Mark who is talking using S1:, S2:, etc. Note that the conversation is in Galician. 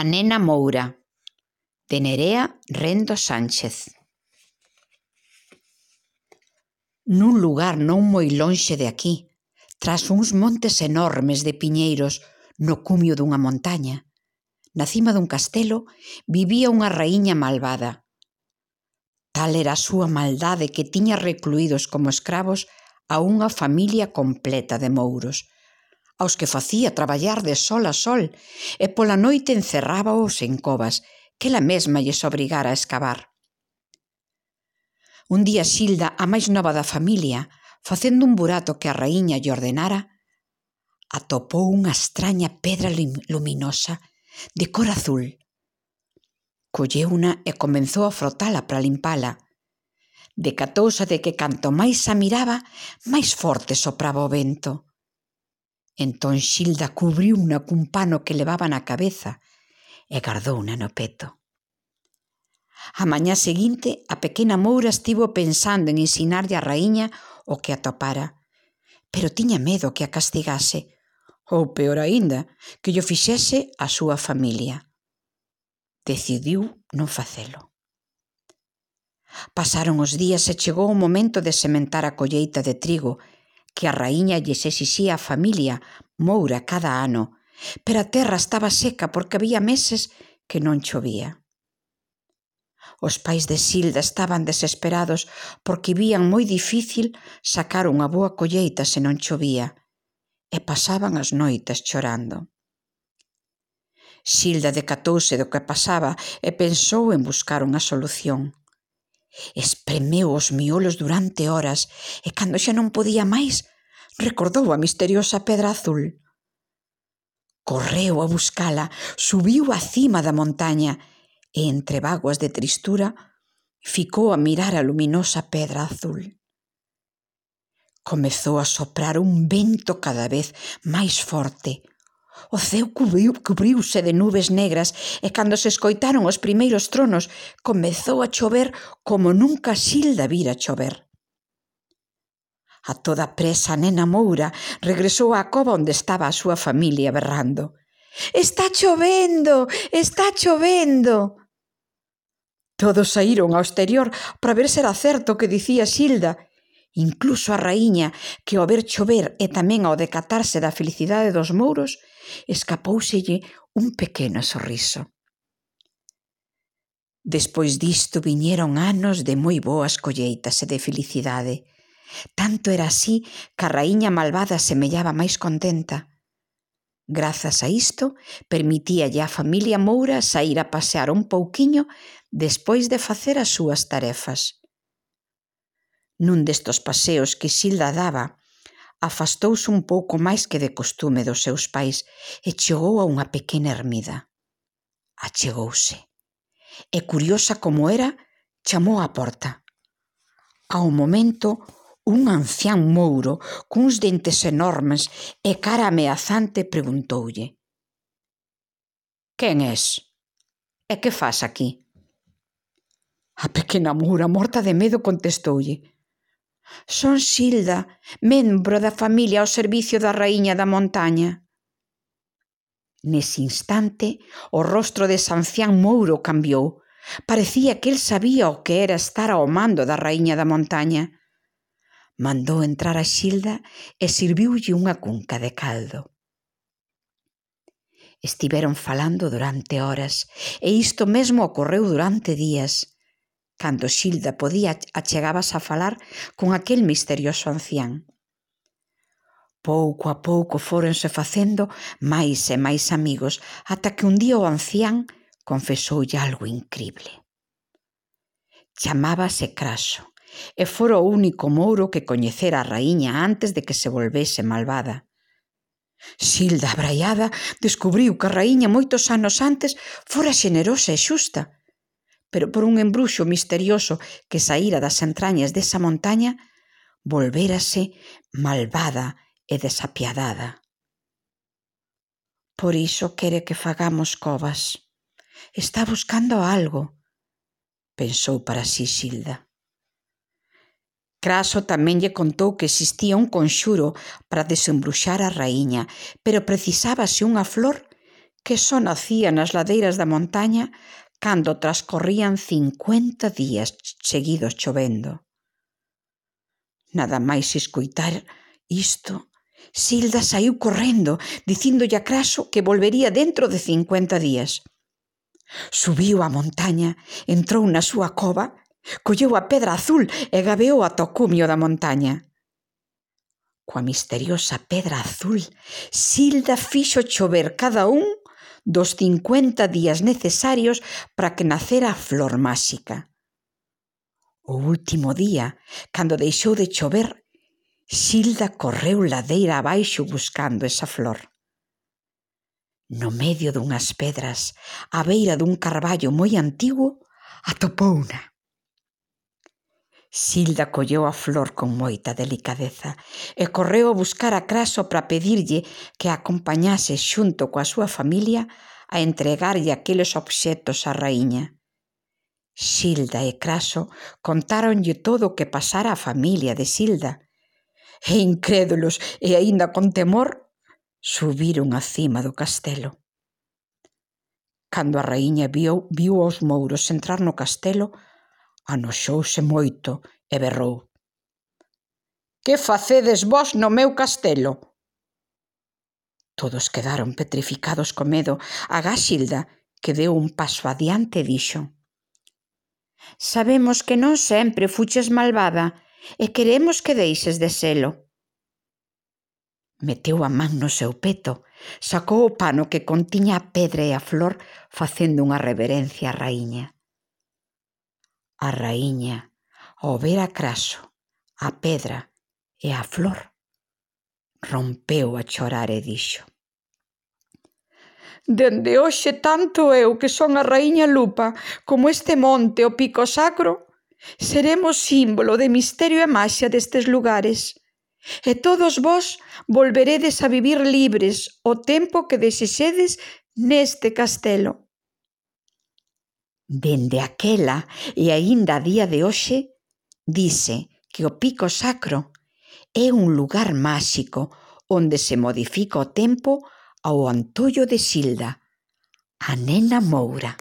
S1: A nena Moura, de Nerea Rendo Sánchez. Nun lugar non moi lonxe de aquí, tras uns montes enormes de piñeiros no cumio dunha montaña, na cima dun castelo vivía unha raíña malvada. Tal era a súa maldade que tiña recluídos como escravos a unha familia completa de mouros, aos que facía traballar de sol a sol e pola noite encerrábaos en covas que ela mesma lles obrigara a escavar. Un día Xilda, a máis nova da familia, facendo un burato que a raíña lle ordenara, atopou unha extraña pedra luminosa de cor azul. Colleuna e comenzou a frotala para limpala. Decatouse de que canto máis a miraba, máis forte sopraba o vento. Entón Xilda cubriuna cun pano que levaba na cabeza e gardouna no peto. A mañá seguinte, a pequena Moura estivo pensando en ensinarlle á raíña o que atopara, pero tiña medo que a castigase, ou, peor aínda, que llo fixese a súa familia. Decidiu non facelo. Pasaron os días e chegou o momento de sementar a colleita de trigo que a raíña lles exixía a familia Moura cada ano, pero a terra estaba seca porque había meses que non chovía. Os pais de Xilda estaban desesperados porque vían moi difícil sacar unha boa colleita se non chovía e pasaban as noites chorando. Xilda decatouse do que pasaba e pensou en buscar unha solución. Espremeu os miolos durante horas e cando xa non podía máis, recordou a misteriosa pedra azul. Correu a buscala, subiu á cima da montaña e, entre bágoas de tristura, ficou a mirar a luminosa pedra azul. Comezou a soprar un vento cada vez máis forte. O ceo cubriuse de nubes negras e cando se escoitaron os primeiros tronos, comezou a chover como nunca Xilda vira chover. A toda presa a nena Moura regresou á cova onde estaba a súa familia berrando. «Está chovendo! Está chovendo!» Todos saíron ao exterior para ver se era certo o que dicía Xilda. Incluso a raíña, que ao ver chover e tamén ao decatarse da felicidade dos mouros, escapóuselle un pequeno sorriso. Despois disto viñeron anos de moi boas colleitas e de felicidade. Tanto era así que a raíña malvada semellaba máis contenta. Grazas a isto, permitíalle á familia Moura saír a pasear un pouquiño despois de facer as súas tarefas. Nun destos paseos que Xilda daba, afastouse un pouco máis que de costume dos seus pais e chegou a unha pequena ermida. Achegouse e, curiosa como era, chamou á porta. Ao momento, un ancián mouro, cuns dentes enormes e cara ameazante, preguntoulle: «Quen és? E que fas aquí?» A pequena Moura, morta de medo, contestoulle: «Son Xilda, membro da familia ao servicio da raíña da montaña». Nese instante, o rostro dese ancián mouro cambiou. Parecía que el sabía o que era estar ao mando da raíña da montaña. Mandou entrar a Xilda e sirviulle unha cunca de caldo. Estiveron falando durante horas e isto mesmo ocorreu durante días. Cando Xilda podía, achegábase a falar con aquel misterioso ancián. Pouco a pouco fóronse facendo máis e máis amigos, ata que un día o ancián confesoulle algo incrible. Chamábase Craso e fora o único mouro que coñecera a raíña antes de que se volvese malvada. Xilda, abraiada, descubriu que a raíña moitos anos antes fora xenerosa e xusta, pero por un embruxo misterioso que saíra das entrañas desa montaña, volvérase malvada e desapiadada. Por iso quere que fagamos covas. Está buscando algo, pensou para si Xilda. Craso tamén lle contou que existía un conxuro para desembruxar a raíña, pero precisábase unha flor que só nacía nas ladeiras da montaña cando transcorrían 50 días seguidos chovendo. Nada máis escoitar isto, Silda saiu correndo, dicíndolle a Craso que volvería dentro de 50 días. Subiu á montaña, entrou na súa cova, colleu a pedra azul e gabeou ata o cumio da montaña. Coa misteriosa pedra azul, Silda fixo chover cada un dos 50 días necesarios para que nacera a flor máxica. O último día, cando deixou de chover, Silda correu ladeira abaixo buscando esa flor. No medio dunhas pedras, á beira dun carballo moi antigo, atopouna. Silda colleu a flor con moita delicadeza e correu a buscar a Craso para pedirlle que a acompañase xunto coa súa familia a entregarlle aqueles obxetos á raíña. Silda e Craso contáronlle todo o que pasara á familia de Silda, e incrédulos e aínda con temor, subiron á cima do castelo. Cando a raíña viu os mouros entrar no castelo, anoxouse moito e berrou: «Que facedes vós no meu castelo?» Todos quedaron petrificados co medo, agás Silda, que deu un paso adiante e dixo: «Sabemos que non sempre fuches malvada e queremos que deixes de selo». Meteu a man no seu peto, sacou o pano que contiña a pedra e a flor facendo unha reverencia á raíña. A raíña, ao ver a Craso, a pedra e a flor, rompeu a chorar e dixo: «Dende hoxe tanto eu, que son a raíña Lupa, como este monte, o Pico Sacro, seremos símbolo de misterio e maxia destes lugares. E todos vós volveredes a vivir libres o tempo que desexedes neste castelo». Dende aquela e aínda a día de hoxe, dice que o Pico Sacro é un lugar máxico onde se modifica o tempo ao antollo de Silda, a nena Moura.